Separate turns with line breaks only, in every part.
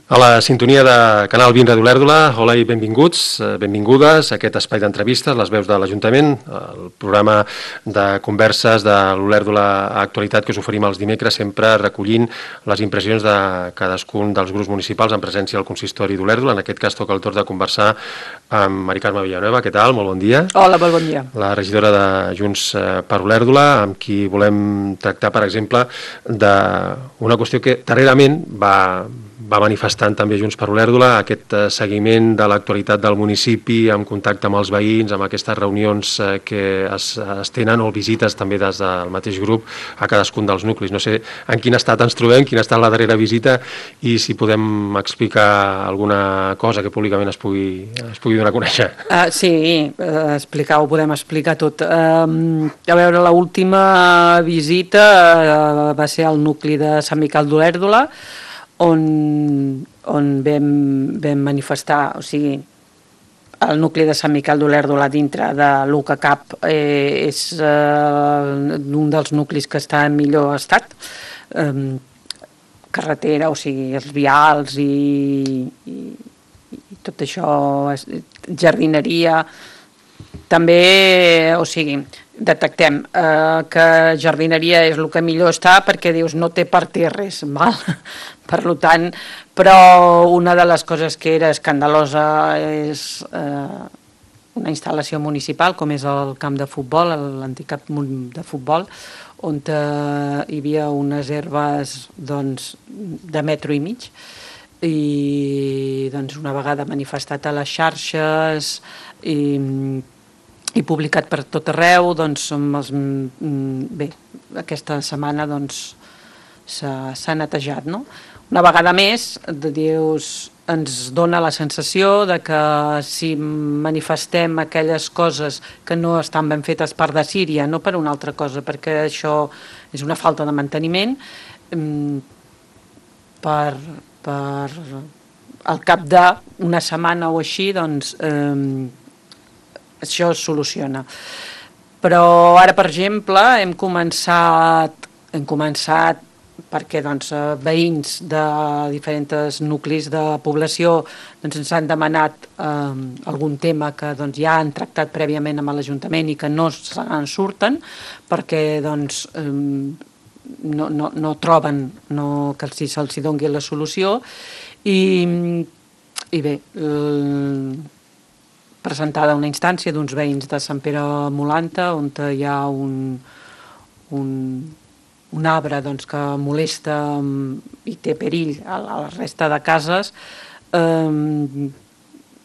A la sintonia de Canal 20 de Olèrdola, hola i benvinguts, benvingudes a aquest espai d'entrevistes, les veus de l'Ajuntament, el programa de converses de l'Olèrdola Actualitat que us oferim els dimecres, sempre recollint les impressions de cadascun dels grups municipals en presència del consistori d'Olèrdola. En aquest cas toca el torn de conversar amb Mari Carme Villanueva. Què tal? Molt bon dia.
Hola, molt bon dia.
La regidora de Junts per Olèrdola, amb qui volem tractar, per exemple, d'una qüestió que darrerament va manifestant també Junts per Olèrdola, aquest seguiment de l'actualitat del municipi, en contacte amb els veïns, amb aquestes reunions que es tenen o visites també des del mateix grup a cadascun dels nuclis. No sé en quin estat ens trobem, quina ha estat la darrera visita i si podem explicar alguna cosa que públicament es pugui donar a conèixer.
Sí, ho podem explicar tot. A veure, l'última visita va ser al nucli de Sant Miquel d'Olèrdola, on vam manifestar, o sigui, el nucli de Sant Miquel d'Olèrdola dintre de l'UCACAP és un dels nuclis que està en millor estat, carretera, o sigui, els vials i tot això, jardineria, també, o sigui, detectem que jardineria és el que millor està perquè dius no té parterres, val? Per tant, però una de les coses que era escandalosa és una instal·lació municipal com és el camp de futbol, l'antic camp de futbol, on hi havia unes herbes doncs, de metro i mig i doncs, una vegada manifestat a les xarxes i publicat per tot arreu, doncs, bé, aquesta setmana doncs, s'ha netejat, no? Una vegada més, dius, ens dona la sensació de que si manifestem aquelles coses que no estan ben fetes per desídia, no per una altra cosa, perquè això és una falta de manteniment, al cap d'una setmana o així, doncs, això es soluciona. Però ara, per exemple, hem començat perquè doncs, veïns de diferents nuclis de població doncs, ens han demanat algun tema que doncs, ja han tractat prèviament amb l'Ajuntament i que no se'n surten perquè doncs, no troben que se'ls doni la solució i bé, presentada una instància d'uns veïns de Sant Pere Molanta on hi ha un arbre doncs, que molesta i té perill a la resta de cases.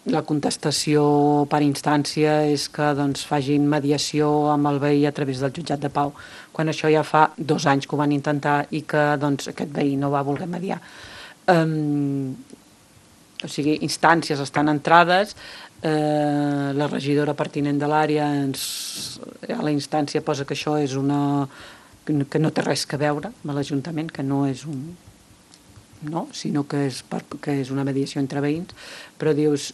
La contestació per instància és que doncs, facin mediació amb el veí a través del jutjat de pau, quan això ja fa 2 anys que ho van intentar i que doncs, aquest veí no va voler mediar. O sigui, instàncies estan entrades, la regidora pertinent de l'àrea a la instància posa que això és que no té res a veure amb l'Ajuntament, que no és sinó que és una mediació entre veïns, però dius,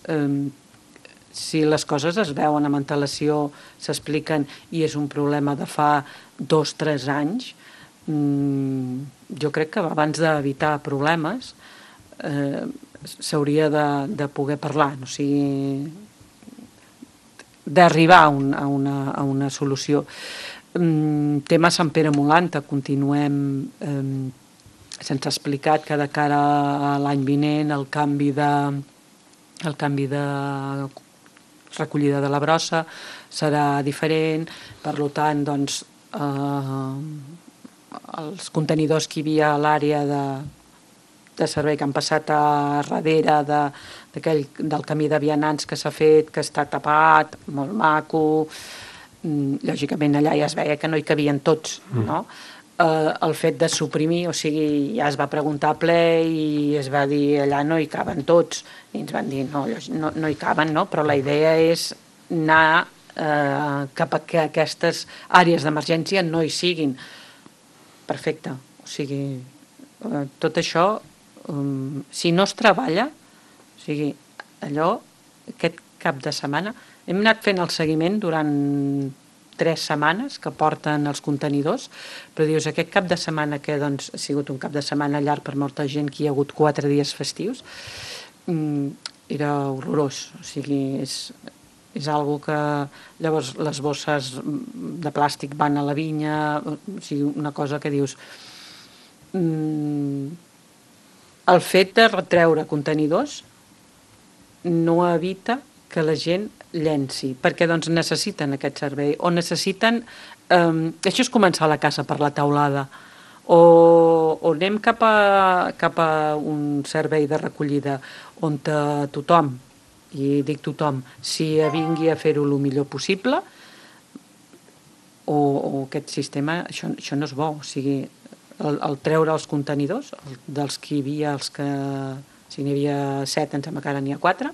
si les coses es veuen amb antelació, s'expliquen i és un problema de fa 2-3 anys, jo crec que abans d'evitar problemes s'hauria de poder parlar, o sigui, d'arribar a una solució. Tema Sant Pere Molanta, continuem se'ns ha explicat que de cara a l'any vinent el canvi de recollida de la brossa serà diferent, per tant doncs, els contenidors que hi havia a l'àrea de servei que han passat a darrere del camí de vianants que s'ha fet, que està tapat, molt maco. Lògicament allà ja es veia que no hi cabien tots, no? El fet de suprimir, o sigui, ja es va preguntar a ple i es va dir allà no hi caben tots, i ens van dir no hi caben, no? Però la idea és anar cap a que aquestes àrees d'emergència no hi siguin. Perfecte, o sigui, tot això, si no es treballa, o sigui, allò, aquest cap de setmana, hem anat fent el seguiment durant 3 setmanes que porten els contenidors, però dius, aquest cap de setmana que doncs, ha sigut un cap de setmana llarg per molta gent, que hi ha hagut 4 dies festius, era horrorós. O sigui, és algo que llavors les bosses de plàstic van a la vinya, o sigui, una cosa que dius... El fet de retreure contenidors no evita que la gent llenci, perquè doncs necessiten aquest servei, o necessiten... això és començar la casa per la teulada, o anem cap a un servei de recollida on tothom, i dic tothom, si vingui a fer-ho el millor possible, o aquest sistema, això no és bo, o sigui, el treure els contenidors, dels que hi havia, si n'hi havia 7, em sembla que ara n'hi ha 4,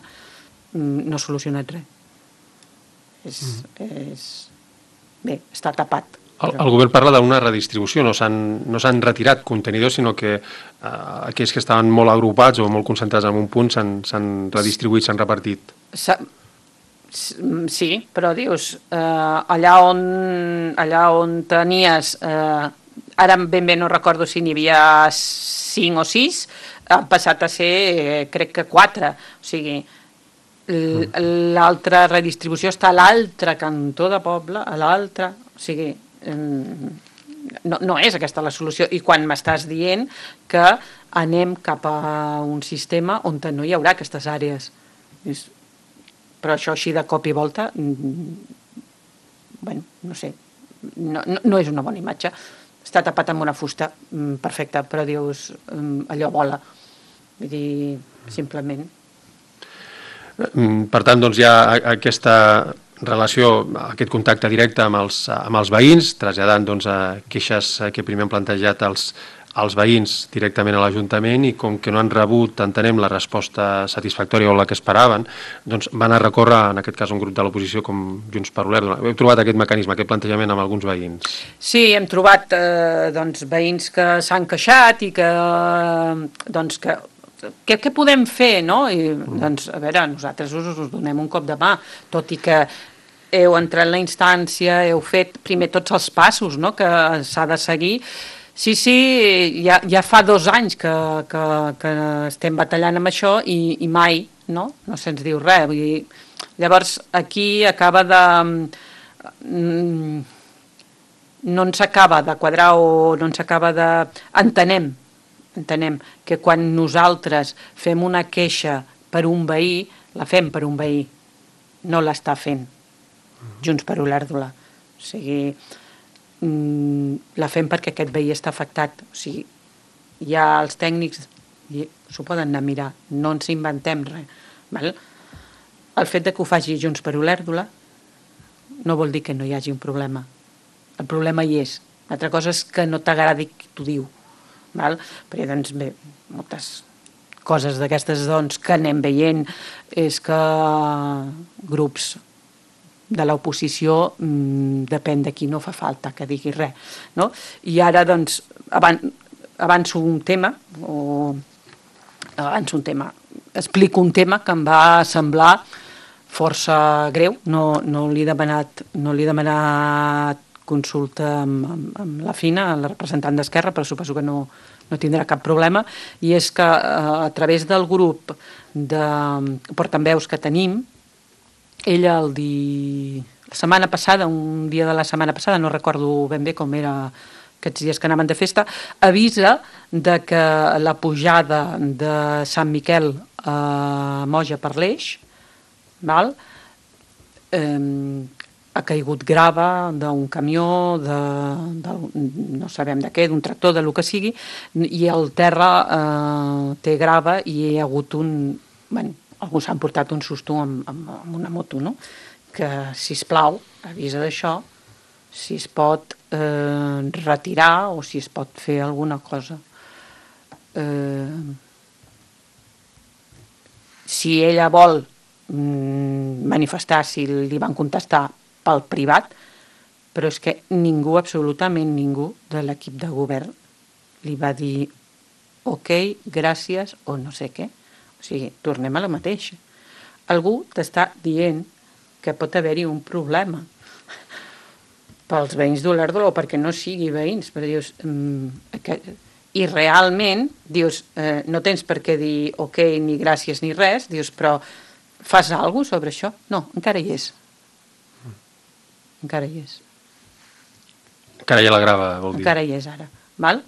no ha solucionat res. Bé, està tapat.
El govern parla d'una redistribució, no s'han retirat contenidors, sinó que aquells que estaven molt agrupats o molt concentrats en un punt s'han redistribuït, s'han repartit.
Sí, però dius, allà on tenies... Ara ben bé no recordo si n'hi havia 5 o 6, han passat a ser, crec que 4. O sigui, l'altra redistribució està a l'altre cantó de poble, a l'altre... O sigui, no és aquesta la solució. I quan m'estàs dient que anem cap a un sistema on no hi haurà aquestes àrees. Però això així de cop i volta, bueno, no sé, no és una bona imatge. Està tapat amb una fusta, perfecte, però dius, allò vola. Vull dir, simplement.
Per tant, doncs hi ha aquesta relació, aquest contacte directe amb els veïns, traslladant doncs, queixes que primer han plantejat els veïns directament a l'Ajuntament, i com que no han rebut, entenem, la resposta satisfactòria o la que esperaven, doncs van a recórrer, en aquest cas, un grup de l'oposició com Junts per Olèrdola. Heu trobat aquest mecanisme, aquest plantejament amb alguns veïns?
Sí, hem trobat veïns que s'han queixat i que, doncs, què podem fer, no? I, doncs, a veure, nosaltres us donem un cop de mà, tot i que heu entrat en la instància, heu fet primer tots els passos, no?, que s'ha de seguir. Sí, ja fa 2 anys que estem batallant amb això i mai, no se'ns diu res. Vull dir, llavors, aquí acaba de... no ens acaba de quadrar o no ens acaba de... Entenem que quan nosaltres fem una queixa per un veí, la fem per un veí, no l'està fent Junts per Olèrdola. O sigui... la fem perquè aquest veí està afectat. O sigui, ja els tècnics s'ho poden anar a mirar, no ens inventem res. Val? El fet de que ho faci Junts per Olèrdola no vol dir que no hi hagi un problema. El problema hi és. L'altra cosa és que no t'agradi qui t'ho diu. Val? Perquè, doncs, bé, moltes coses d'aquestes doncs, que anem veient és que grups de l'oposició, depèn de qui no fa falta que digui res, no? I ara, doncs, avanço un tema, explico un tema que em va semblar força greu, no li he demanat consulta amb la Fina, la representant d'Esquerra, però suposo que no tindrà cap problema, i és que a través del grup de portaveus que tenim, ella la setmana passada, un dia de la setmana passada, no recordo ben bé com era aquests dies que anaven de festa, avisa de que la pujada de Sant Miquel a Moja per l'Eix, ha caigut grava d'un camió, no sabem de què, d'un tractor, de lo que sigui, i el terra té grava i hi ha hagut algú s'han portat un susto amb una moto, no? Que, sisplau, avisa d'això, si es pot retirar o si es pot fer alguna cosa. Si ella vol manifestar, si li van contestar pel privat, però és que ningú, absolutament ningú de l'equip de govern li va dir ok, gràcies o no sé què. O sigui, tornem a la mateixa. Algú t'està dient que pot haver-hi un problema. pels veïns d'Olèrdola o perquè no sigui veïns, però dius... I realment, dius, no tens per què dir ok, ni gràcies, ni res, dius, però fas alguna cosa sobre això? No, encara hi és. Encara hi és.
Encara hi ha la grava, vol dir.
Encara hi és ara, val?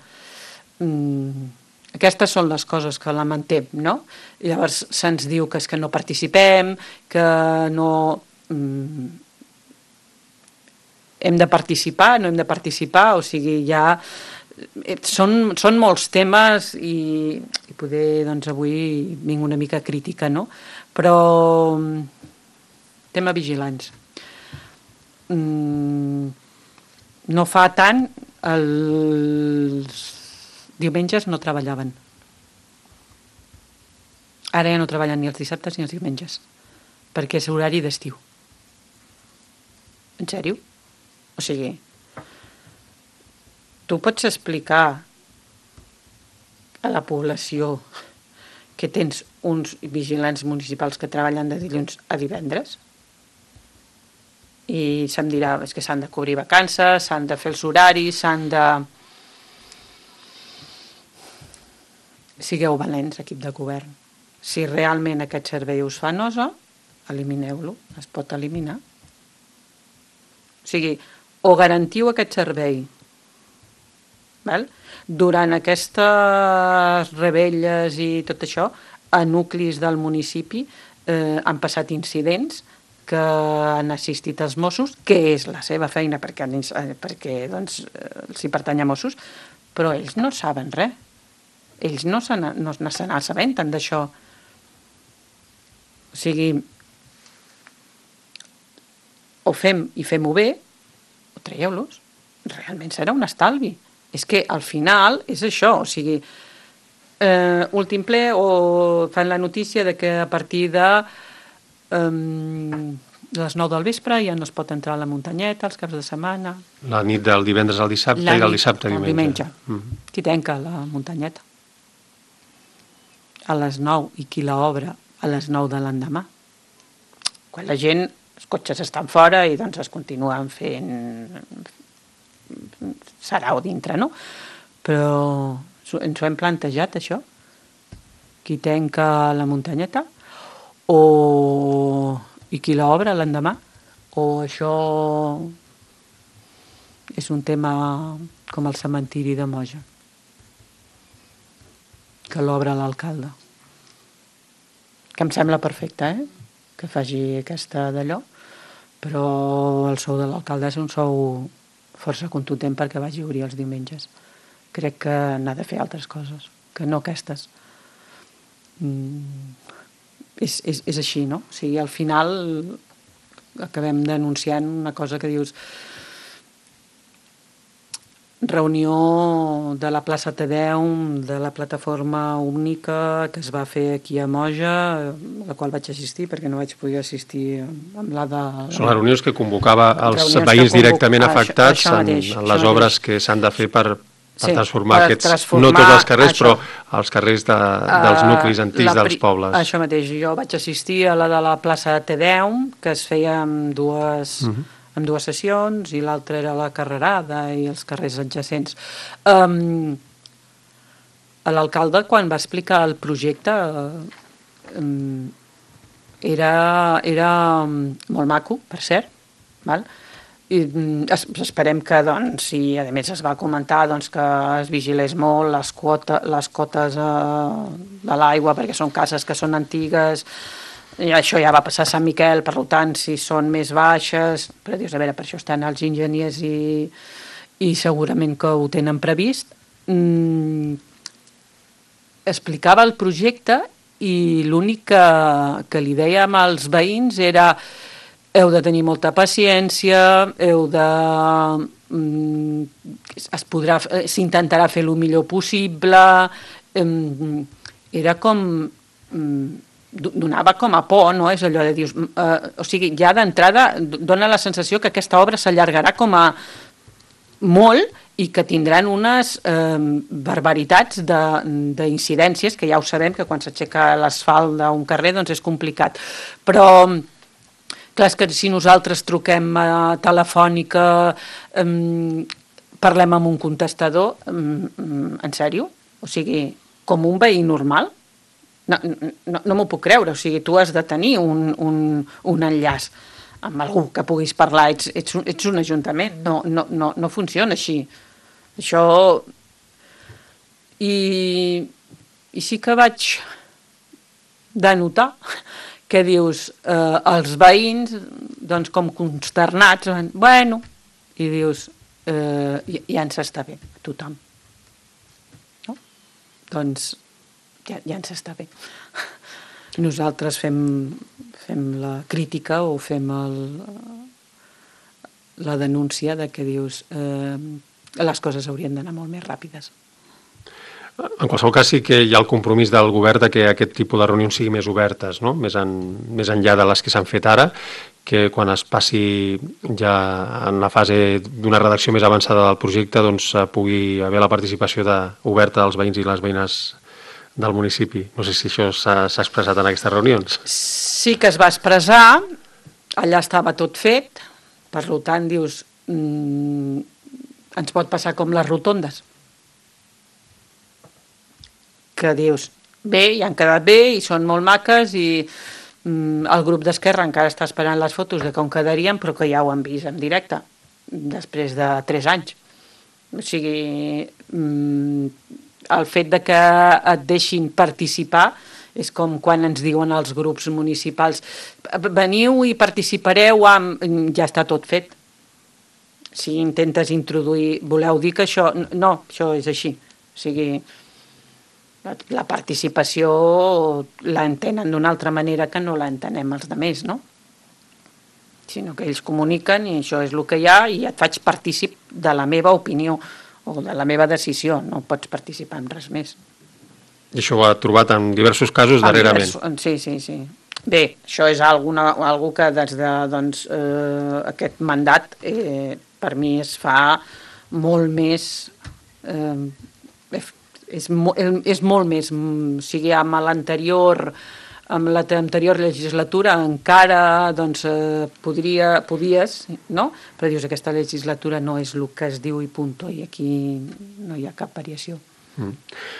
Aquestes són les coses que lamentem, no? I llavors se'ns diu que és que no participem, que no... hem de participar, no hem de participar, o sigui, ja... Són molts temes i poder, doncs, avui vinc una mica crítica, no? Però tema vigilants. No fa tant, els diumenges no treballaven. Ara ja no treballen ni els dissabtes ni els diumenges, perquè és horari d'estiu. En sèrio? O sigui... Tu pots explicar a la població que tens uns vigilants municipals que treballen de dilluns a divendres? I se'm dirà que s'han de cobrir vacances, s'han de fer els horaris, s'han de... Sigueu valents, equip de govern. Si realment aquest servei us fa nosa, elimineu-lo, es pot eliminar. O sigui, o garantiu aquest servei durant aquestes rebelles i tot això, a nuclis del municipi han passat incidents que han assistit els Mossos, que és la seva feina perquè doncs, els hi pertany a Mossos, però ells no saben res. Ells no se n'assabenten d'això. O sigui, o fem i fem-ho bé, o traieu-los. Realment serà un estalvi. És que al final és això, o sigui, últim ple o fan la notícia de que a partir de les 9 del vespre ja no es pot entrar a la muntanyeta els caps de setmana.
La nit del divendres al dissabte i del dissabte a diumenge.
Qui tanca la muntanyeta? A les 9 i qui l'obre a les 9 de l'endemà? Quan la gent, els cotxes estan fora i doncs es continuen fent... sarau dintre, no? Però ens ho hem plantejat, això? Qui tanca la muntanyeta? I qui l'obre l'endemà? O això és un tema com el cementiri de Moja, que l'obre l'alcalde? Que em sembla perfecte, que faci aquesta d'allò, però el sou de l'alcalde és un sou força contundent perquè vagi a obrir els diumenges. Crec que n'ha de fer altres coses, que no aquestes. És així, no? O sigui, al final acabem denunciant una cosa que dius... Reunió de la plaça Tedeum, de la plataforma única que es va fer aquí a Moja, a la qual vaig assistir perquè no vaig poder assistir amb la de...
Són les reunions que convocava els veïns directament afectats en les obres que s'han de fer per transformar aquests, no tots els carrers, però els carrers dels nuclis antics dels pobles.
Això mateix, jo vaig assistir a la de la plaça Tedeum, que es feia amb dues sessions, i l'altra era la Carrerada i els carrers adjacents. L'alcalde, quan va explicar el projecte, era molt maco, per cert, val? I esperem que, doncs, i a més es va comentar que es vigilés molt les cotes de l'aigua, perquè són cases que són antigues. I això ja va passar a Sant Miquel, per tant, si són més baixes, però dius, a veure, per això estan els enginyers i segurament que ho tenen previst. Explicava el projecte i l'únic que li dèiem als veïns era heu de tenir molta paciència, s'intentarà fer el millor possible. Era com... donava com a por, no? És allò de dir... o sigui, ja d'entrada dona la sensació que aquesta obra s'allargarà com a molt i que tindran unes barbaritats d'incidències, que ja ho sabem, que quan s'aixeca l'asfalt d'un carrer doncs és complicat. Però Clar, és que si nosaltres truquem a Telefònica, parlem amb un contestador, en sèrio? O sigui, com un veí normal? No m'ho puc creure, o sigui, tu has de tenir un enllaç amb algú que puguis parlar, ets un ajuntament, no funciona així. Això... I sí que vaig denotar que dius, els veïns, doncs com consternats, bueno, i dius, ja ens està bé, tothom. No? Doncs ja ens està bé. Nosaltres fem la crítica o fem la denúncia de que dius les coses haurien d'anar molt més ràpides.
En qualsevol cas sí que hi ha el compromís del govern de que aquest tipus de reunions siguin més obertes, no? Més enllà de les que s'han fet ara, que quan es passi ja en la fase d'una redacció més avançada del projecte doncs pugui haver la participació oberta dels veïns i les veïnes del municipi. No sé si això s'ha expressat en aquestes reunions.
Sí que es va expressar, allà estava tot fet, per tant dius, ens pot passar com les rotondes, que dius, bé, ja han quedat bé i són molt maques i el grup d'Esquerra encara està esperant les fotos de com quedarien, però que ja ho han vist en directe, després de 3 anys. O sigui, el fet de que et deixin participar és com quan ens diuen els grups municipals, veniu i participareu, ja està tot fet. Si intentes introduir, voleu dir que això... No, això és així. O sigui, la participació l'entenen d'una altra manera que no l'entenem els altres, no? Sinó que ells comuniquen i això és el que hi ha i et faig partícip de la meva opinió o de la meva decisió, no pots participar en res més.
I això ho ha trobat en diversos casos darrerament.
Sí. Bé, això és algo que des de aquest mandat per mi es fa molt més... és molt més, o sigui, amb l'anterior legislatura encara podies, no? Però dius, aquesta legislatura no és el que es diu i punt, i aquí no hi ha cap variació.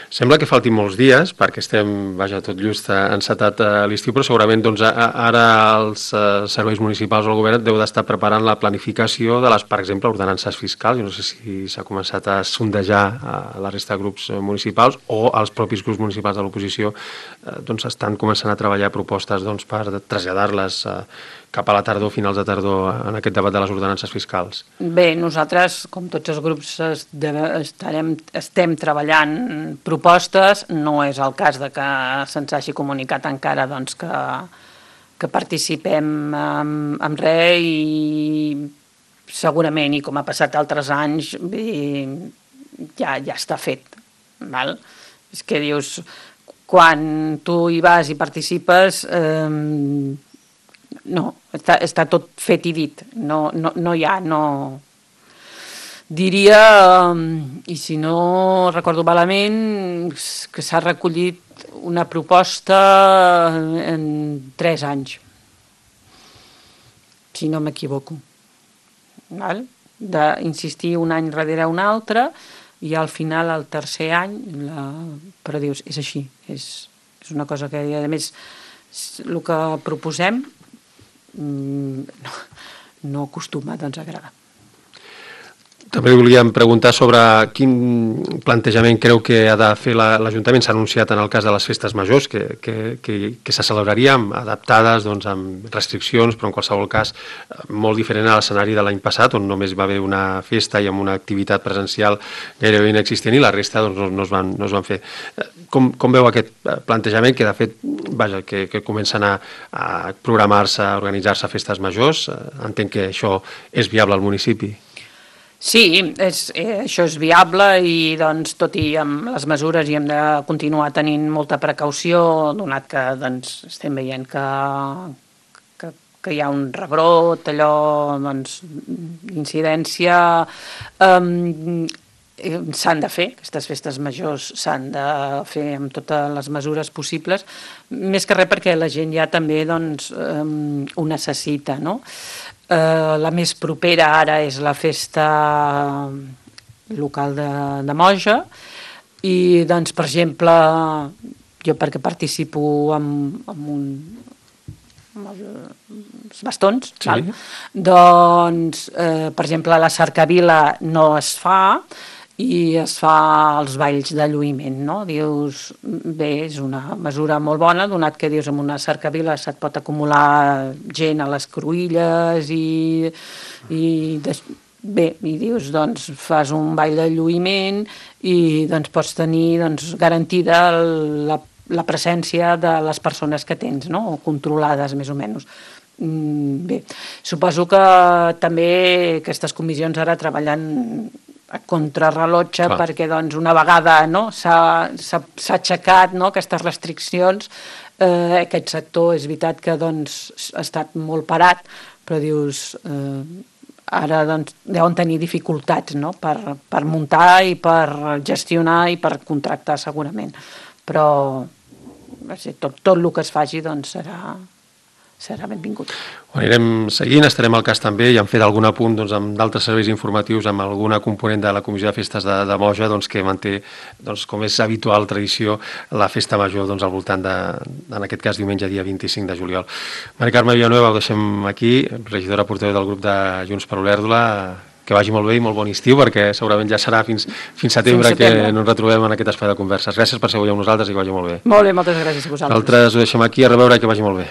Sembla que faltin molts dies, perquè estem, tot just encetat l'estiu, però segurament ara els serveis municipals o el govern deu d'estar preparant la planificació de les, per exemple, ordenances fiscals. Jo no sé si s'ha començat a sondejar a la resta de grups municipals o els propis grups municipals de l'oposició estan començant a treballar propostes per traslladar-les cap a la tardor, finals de tardor, en aquest debat de les ordenances fiscals.
Bé, nosaltres, com tots els grups, estem treballant propostes, no és el cas de que se'ns hagi comunicat encara que participem en res i segurament, i com ha passat altres anys, ja està fet. Val? És que dius, quan tu hi vas i participes... No, està tot fet i dit, no hi ha, no... Diria, i si no recordo malament, que s'ha recollit una proposta en 3 anys, si no m'equivoco. D'insistir un any darrere un altre i al final, el tercer any, però dius, és així, és una cosa que, a més, el que proposem no acostuma a agradar.
També volíem preguntar sobre quin plantejament creu que ha de fer l'Ajuntament. S'ha anunciat en el cas de les festes majors que se celebrarien adaptades amb restriccions, però en qualsevol cas molt diferent a l'escenari de l'any passat, on només va haver una festa i amb una activitat presencial gairebé inexistent i la resta no es van fer. Com veu aquest plantejament que de fet que comencen a programar-se, a organitzar-se festes majors? Entenc que això és viable al municipi.
Sí, això és viable i tot i amb les mesures hi hem de continuar tenint molta precaució, donat que estem veient que hi ha un rebrot, incidència. s'han de fer, aquestes festes majors s'han de fer amb totes les mesures possibles, més que res perquè la gent ja també doncs, ho necessita, no? La més propera ara és la festa local de Moja i doncs per exemple jo perquè participo amb els bastons,
sí.
Doncs per exemple la cercavila no es fa i es fa els balls de lluïment, no? Dius, bé, és una mesura molt bona, donat que dius amb una cercavila se't pot acumular gent a les cruïlles i dius, doncs fas un ball de lluïment i doncs pots tenir garantida la presència de les persones que tens, no? O controlades més o menys. Bé, suposo que també aquestes comissions ara treballen a contrarrellotge perquè doncs, una vegada s'ha aixecat aquestes restriccions, aquest sector és veritat que doncs, ha estat molt parat, però dius, ara doncs, deuen tenir dificultats per muntar i per gestionar i per contractar segurament, però tot el que es faci doncs, serà benvingut.
Ho anirem seguint, estarem al cas també i hem fet algun apunt doncs, amb d'altres serveis informatius, amb alguna component de la Comissió de Festes de Moja doncs, que manté, doncs, com és habitual, tradició, la festa major doncs, al voltant en aquest cas diumenge dia 25 de juliol. Mari Carme Villanueva, ho deixem aquí, regidora portaveu del grup de Junts per Olèrdola, que vagi molt bé i molt bon estiu, perquè segurament ja serà fins setembre que no ens retrobem en aquest espai de converses. Gràcies per ser avui amb nosaltres i que vagi molt bé.
Molt bé, moltes gràcies a vosaltres.
Nosaltres ho deixem aquí, a reveure i que vagi molt bé.